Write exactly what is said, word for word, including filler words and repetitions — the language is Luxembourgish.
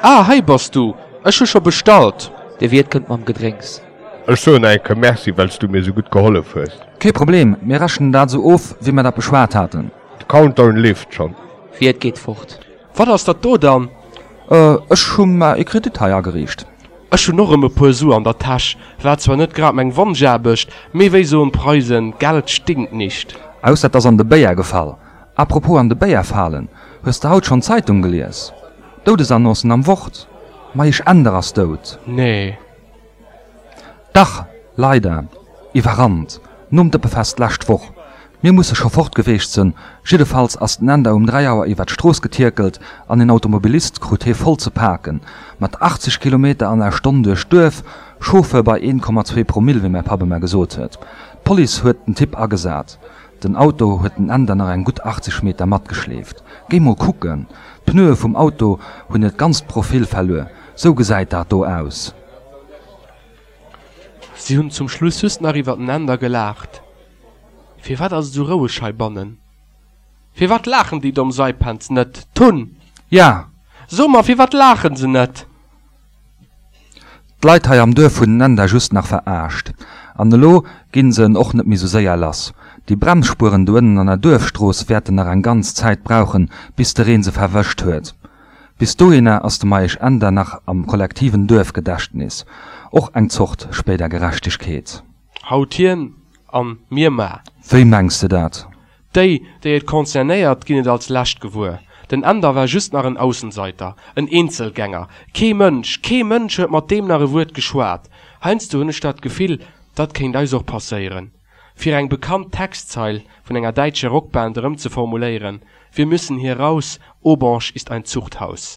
Ah, hei bass du! Ech hu scho bestallt. De Wiert kënnt mam Gedrénks. Ech soen nach eng Kéier Merci, well s du mir sou gutt gehollef hues. Kee Problem, mir rechnen dat sou of, wéi mer dat beschwat haten. De Countdown leeft schonn. Wiert geet fort. Wat ass dat do dann? Ech hu mer ee Kredit hei ageriicht. Ech hunn och erëm e puer Su an der Täsch. War zwar net grad meng Wonschaarbecht, mee wéi soen d'Preisen, Geld stinkt nicht. Ausser 't ass an de Béier gefall. Apropos an de Béier falen, hues de haut schonn d'Zeitung gelies? Doudesannoncen am Wort, Meisch Änder ass dout. Nee. Dach, leider. Iwwerrannt. Nom Dëppefest d'lescht Woch. Mir musse scho fort geweecht sënn. Jiddefalls ass den Änder um dräi Auer iwwer d'Strooss getierkelt an en Automobilist krut hee voll ze paken. Mat achtzeg Kilometer an der Stonn duerch d'Duerf, Chauffeur bei een Komma zwee Promill, wéi mäi Papp ëmmer gesot huet. D'Police huet den Typ agesat. Den Auto huet den Änder nach eng gutt achtzeg Meter matgeschleeft. Géi mol kucken, d'Pneue vum Auto hunn hiert ganzt Profil verluer. Sou gesäit dat do aus. Si hunn zum Schluss just nach iwwer den Änder gelaacht. Firwat ass et esou roueg heibannen? Firwat laachen déi domm Saipänz net? Tun! Ja! So mer, firwat laachen se net? D'Leit hei am Duerf hunn den Änder just nach veraascht. An elo ginn se en och net méi sou séier lass. Déi Bremsspueren do ënnen an der Duerfstrooss wäerten nach eng ganz Zäit brauchen, bis de Reen se verwëscht huet. Bis dohinner ass de Meisch Änder nach am kollektiven Duerfgedächtnis. Och eng Zort spéider Gerechtegkeet. Haut hien an mir mar. Wéi mengs de dat? Déi, déi et concernéiert, ginn et als lescht gewuer. Den Änder war just nach en Aussenseiter, en Eenzelgänger. Kee Mënsch, kee Mënsch huet mat deem nach e Wuert geschwat. Heiansdo hunn ech dat Gefill, dat kéint eis och passéieren. Fir eng bekannt Textzeil vun enger däitscher Rockband erëmzeformuléieren, Wir müssen hier raus, Aubange ist ein Zuchthaus.